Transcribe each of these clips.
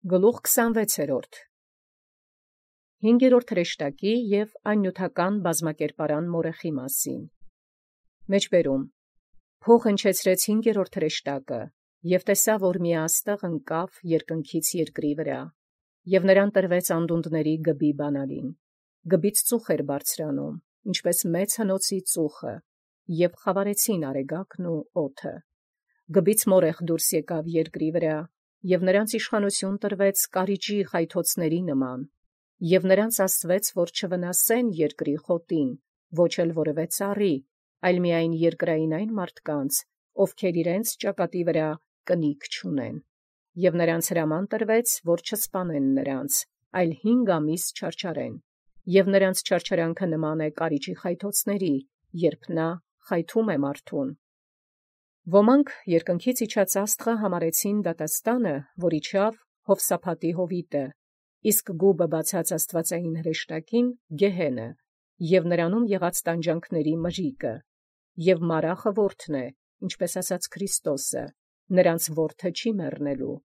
Գլուխ 26 5-րդ հրեշտակի և աննյութական բազմակերպարան մորեխի մասին։ Մեջբերում փող հնչեցրեց 5-րդ հրեշտակը, և տեսա, որ մի աստղ ընկավ երկնքից երկրի վրա, և նրան տրվեց անդունդների գբի բանալին. գբից ծուխ էր բարձրանում, ինչպես մեծ հնոցի ծուխը, և խավարեցին արեգակն ու օդը. գբից մորեխ դուրս եկավ երկրի վրա, և նրանց իշխանություն տրվեց կարիճի խայթոցների նման, և նրանց ասվեց, որ չվնասեն երկրի խոտին, ոչ էլ որևէ ծառի, այլ միայն երկրային այն մարդկանց, ովքեր իրենց ճակատի վրա կնիկ չունեն, և նրանց հրաման տրվեց, որ չսպանեն նրանց, այլ 5 ամիս չարչարեն, և նրանց չարչարանքը նման է կարիճի խայթոցների, երբ նա խայթում է մարդուն։ Ոմանք երկնքից իջած աստղը համարեցին դատաստանը, որ իջավ Յովսափատի հովիտը, իսկ գուբը բացած աստվածային հրեշտակին գեհենը, և նրանում եղած տանջանքների մրրիկը, և մարախը որդն է, ինչպես ասաց Քրիստոսը, նրանց որդը չի մեռնելու։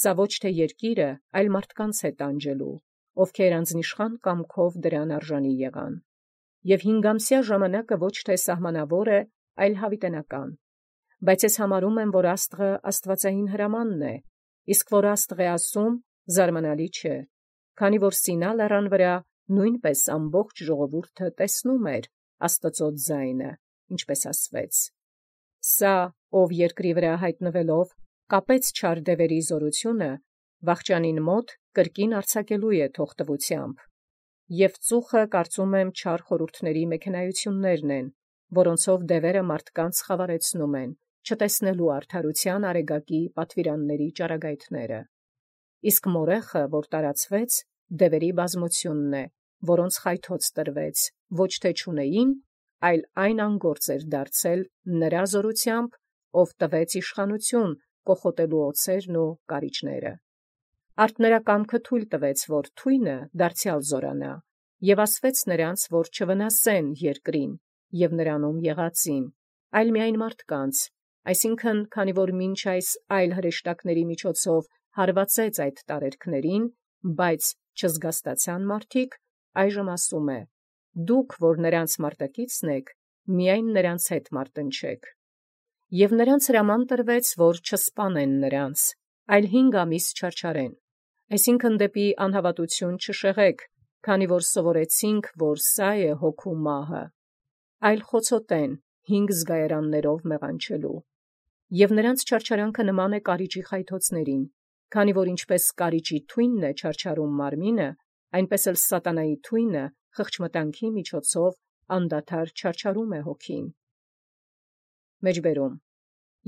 Սա ոչ թե երկիրը, այլ մարդկանց է տանջելու, ովքեր անձնիշխան կամքով դրան արժանի եղան։ Եվ 5-ամսյա ժամանակը ոչ թե սահմանավոր է, այլ հավիտենական։ Բայց ես համարում եմ, որ աստղը աստվածային հրամանն է, իսկ որ աստղ է ասում, զարմանալի չէ, քանի որ Սինա լեռան վրա նույնպես ամբողջ ժողովուրդը տեսնում էր Աստծո ձայնը, ինչպես ասվեց. սա, ով երկրի վրա հայտնվելով, կապեց չար դևերի զորությունը, վախճանին մոտ կրկին արձակելու է թողտվությամբ։ Եվ ծուխը կարծում եմ չար խորհուրդների մեքենայություններն են, որոնցով դևերը մարդկանց խավարեցնում են, չտեսնելու արդարության արեգակի պատվիրանների ճառագայթները։ Իսկ մորեխը, որ տարածվեց, դևերի բազմությունն է, որոնց խայթոց տրվեց, ոչ թե չունեին, այլ այն անգործ էր դարձել նրա զորությամբ, ով տվեց իշխանություն կոխոտելու օձերն ու կարիճները։ Արդ նրա կամքը թույլ տվեց, որ թույնը դարձյալ զորանա, և ասվեց նրանց, որ չվնասեն երկրին և նրանում եղածին, այլ միայն մարդկանց, այսինքն, քանի որ մինչ այս այլ հրեշտակների միջոցով հարվածեց այդ տարերքներին, բայց չզգաստացան մարդիկ, այժմ ասում է. դուք, որ նրանց մարտակիցն եք, միայն նրանց հետ մարտնչեք։ Եվ նրանց հրաման տրվեց, որ չսպանեն նրանց, այլ 5 ամիս չարչարեն, այսինքն դեպի անհավատություն չշեղեք, քանի որ սովորեցինք, որ սա է հոգու մահը, այլ խոցոտեն 5 զգայարաններով մեղանչելու։ Եվ նրանց չարչարանքը նման է կարիճի խայթոցներին, քանի որ ինչպես կարիճի թույնն է չարչարում մարմինը, այնպես էլ սատանայի թույնը խղճմտանքի միջոցով անդադար չարչարում է հոգին։ Մեջբերում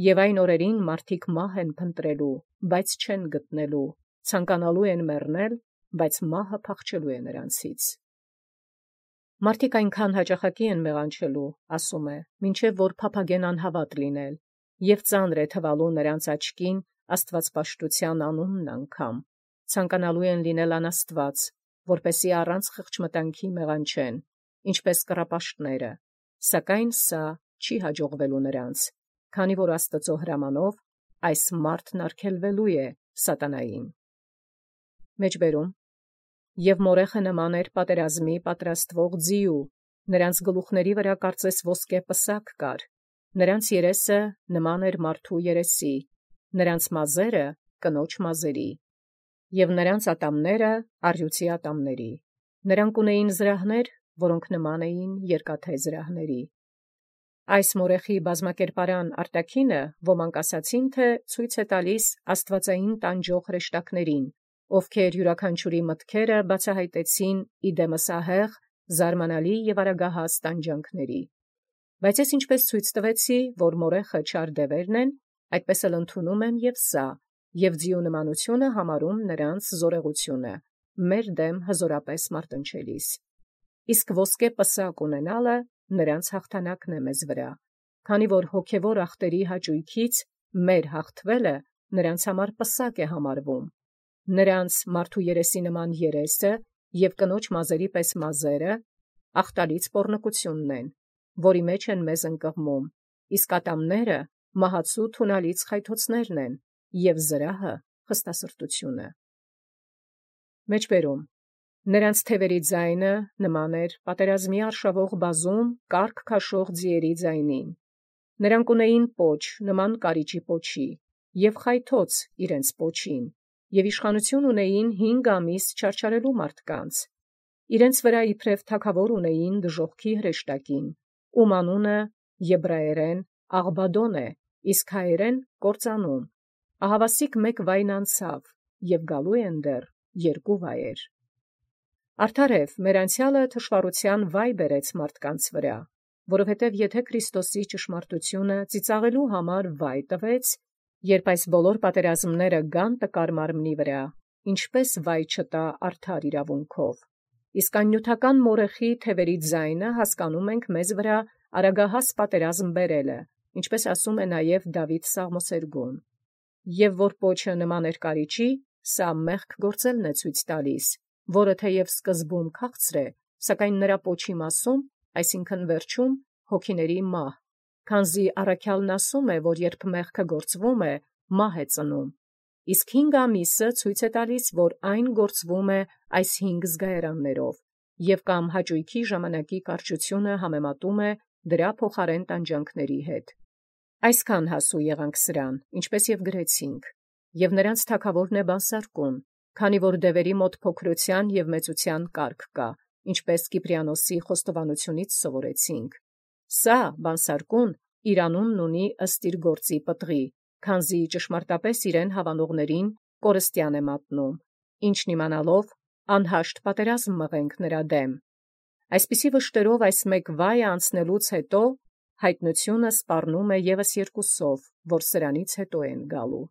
և այն օրերին մարդիկ մահ են փնտրելու, բայց չեն գտնելու, ցանկանալու են մեռնել, բայց մահը փախչելու է նրանցից։ Մարդիկ այնքան հաճախակի են մեղանչելու, ասում է, մինչև որ փափագեն անհավատ լինել, և ծանր է թվալու նրանց աչքին աստվածպաշտության անունն անգամ, ցանկանալու են լինել անաստված, որպեսզի առանց խղճմտանքի մեղանչեն, ինչպես կռապաշտները, սակայն սա չի հաջողվելու նրանց, քանի որ Աստծո հրամանով այս մարդն արգելվելու է սատանային։ Մեջբերում և մորեխը նման էր պատերազմի պատրաստվող ձիու, նրանց գլուխների վրա կարծես ոսկե պսակ կար, նրանց երեսը նման էր մարդու երեսի, նրանց մազերը կնոջ մազերի, և նրանց ատամները առյուծի ատամների, նրանք ունեին զրահներ, որոնք նման էին երկաթե զրահների։ Այս մորեխի բազմակերպարան արտաքինը ոմանք ասացին, թե ցույց է տալիս աստվածային տանջող հրեշտակներին, ովքեր յուրաքանչյուրի մտքերը բացահայտեցին իդեմս ահեղ, զարմանալի և արագահաս տանջանքների։ Բայց ես ինչպես ցույց տվեցի, որ մորեխը չար դևերն են, այդպես էլ ընդունում եմ և սա, և ձիու նմանությունը համարում նրանց զորեղությունը, մեր դեմ հզորապես մարտնչելիս։ Իսկ ոսկե պսակ ունենալը նրանց հաղթանակն է մեզ վրա, քանի որ հոգևոր ախտերի հաճույքից մեր հաղթվելը նրանց համար պսակ է համարվում, նրանց մարդու երեսի նման երեսը և կնոջ մազերի պես մազերը ախտալից պոռնկությունն են, որի մեջ են մեզ ընկղմում, իսկ ատամները մահացու թունալից խայթոցներն են, և զրահը խստասրտությունը։ Մեջբերում. նրանց թևերի ձայնը նման էր պատերազմի արշավող բազում կարգ քաշող ձիերի ձայնին։ Նրանք ունեին պոչ նման կարիճի պոչի, և խայթոց իրենց պոչին, և իշխանություն ունեին 5 ամիս չարչարելու մարդկանց։ Իրենց վրա իբրև թագավոր ունեին դժոխքի հրեշտակին, ում անունը եբրայերեն Աղբադոն է, իսկ հայերեն կործանում։ Ահավասիկ մեկ վայն անցավ, և գալու են դեռ 2 վայեր։ Արդարև մեր անցյալը թշվառության վայ բերեց մարդկանց վրա, որովհետև եթե Քրիստոսի ճշմարտությունը ծիծաղելու համար վայ տվեց, երբ այս բոլոր պատերազմները գան տկար մարմնի վրա, ինչպես վայ չտա արդար իրավունքով։ Իսկ աննյութական մորեխի թևերի ձայնը հասկանում ենք մեզ վրա արագահաս պատերազմ բերելը, ինչպես ասում է նաև Դավիթ Սաղմոսերգուն. «Եվ որ պոչը նման էր կարիճի, սա մեղք գործելն է ցույց տալիս, որը թեև սկզբում քաղցր է, սակայն նրա պոչի մասում, այսինքն վերջում, հոգիների մահ, քանզի առաքյալն ասում է, որ երբ մեղքը գործվում է, մահ է ծնում, իսկ 5 ամիսը ցույց է տալիս, որ այն գործվում է այս 5 զգայարաններով, և կամ հաճույքի ժամանակի կարճությունը համեմատում է դրա փոխարեն տանջանքների հետ։ Այսքան հասու եղանք սրան, ինչպես և գրեցինք, և նրանց թագավորն է բանսարկում, քանի որ դևերի մոտ փոքրության և մեծության կարգ կա, ինչպես Կիպրիանոսի խոստովանությունից սովորեցինք։ Սա բանսարկուն իր անունն ունի ըստ իր գործի պտղի, քանզի ճշմարտապես իրեն հավանողներին կորստյան է մատնում, ինչն իմանալով անհաշտ պատերազմ մղենք նրա դեմ։ Այսպիսի վշտերով այս մեկ վայը անցնելուց հետո հայտնությունը սպառնում է ևս 2-ով, որ սրանից հետո են գալու։